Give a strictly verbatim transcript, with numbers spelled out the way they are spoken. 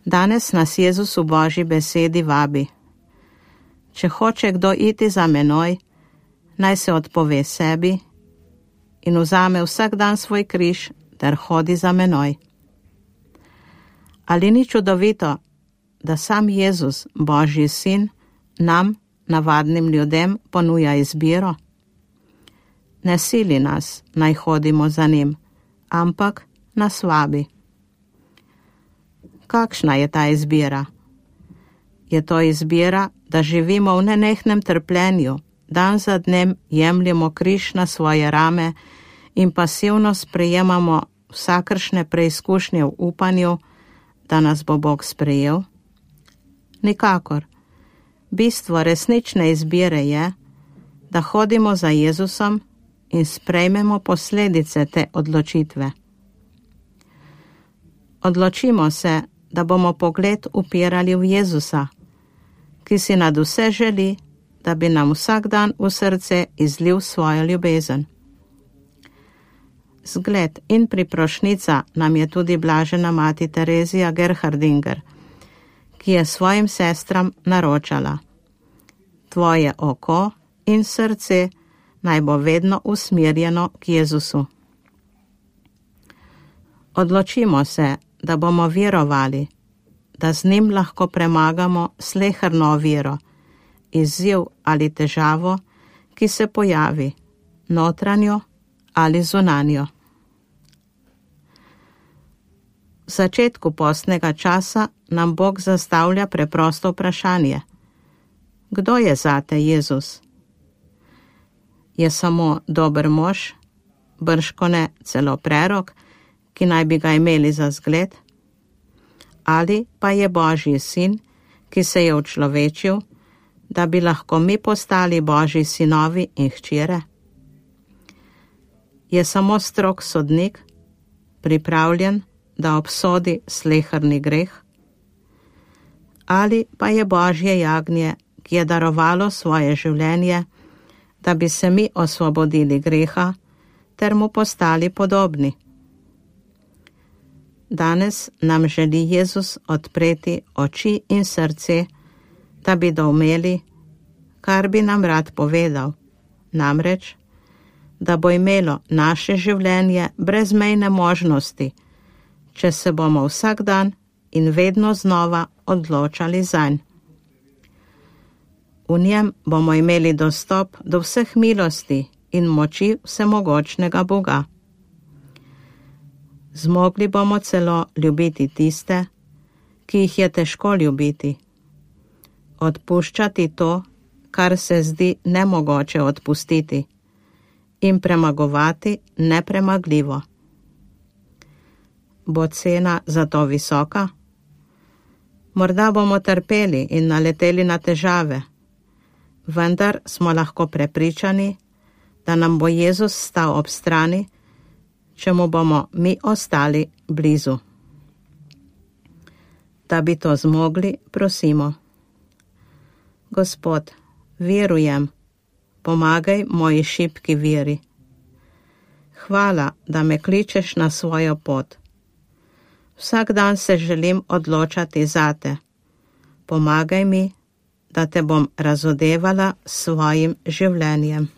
Danes nas Jezus v Božji besedi vabi. Če hoče kdo iti za menoj, naj se odpove sebi in vzame vsak dan svoj križ ter hodi za menoj. Ali ni čudovito, da sam Jezus, Božji sin, nam, navadnim ljudem, ponuja izbiro? Ne sili nas, naj hodimo za njim, ampak nas vabi. Kakšna je ta izbira? Je to izbira, da živimo v nenehnem trpljenju, dan za dnem jemljemo križ na svoje rame in pasivno sprejemamo vsakršne preizkušnje v upanju, da nas bo Bog sprejel? Nikakor. Bistvo resnične izbire je, da hodimo za Jezusom in sprejmemo posledice te odločitve. Odločimo se, da bomo pogled upirali v Jezusa, ki si nad vse želi, da bi nam vsak dan v srce izlil svojo ljubezen. Zgled in priprošnica nam je tudi blažena mati Terezija Gerhardinger, ki je svojim sestram naročala: Tvoje oko in srce naj bo vedno usmerjeno k Jezusu. Odločimo se, da bomo verovali, da z njim lahko premagamo sleherno oviro, izziv ali težavo, ki se pojavi, notranjo ali zunanjo. V začetku postnega časa nam Bog zastavlja preprosto vprašanje: Kdo je zate Jezus? Je samo dober mož, bržkone celo prerok, ki naj bi ga imeli za zgled? Ali pa je Božji sin, ki se je učlovečil, da bi lahko mi postali Božji sinovi in hčere? Je samo strog sodnik, pripravljen, da obsodi sleherni greh? Ali pa je Božje jagnje, ki je darovalo svoje življenje, da bi se mi osvobodili greha ter mu postali podobni? Danes nam želi Jezus odpreti oči in srce, da bi doumeli, kar bi nam rad povedal, namreč, da bo imelo naše življenje brezmejne možnosti, če se bomo vsak dan in vedno znova odločali zanj. V njem bomo imeli dostop do vseh milosti in moči vsemogočnega Boga. Zmogli bomo celo ljubiti tiste, ki jih je težko ljubiti, odpuščati to, kar se zdi nemogoče odpustiti, in premagovati nepremagljivo. Bo cena za to visoka? Morda bomo trpeli in naleteli na težave, vendar smo lahko prepričani, da nam bo Jezus stal ob strani, če mu bomo mi ostali blizu. Da bi to zmogli, prosimo: Gospod, verujem, pomagaj moji šibki veri. Hvala, da me kličeš na svojo pot. Vsak dan se želim odločati zate. Pomagaj mi, da te bom razodevala s svojim življenjem.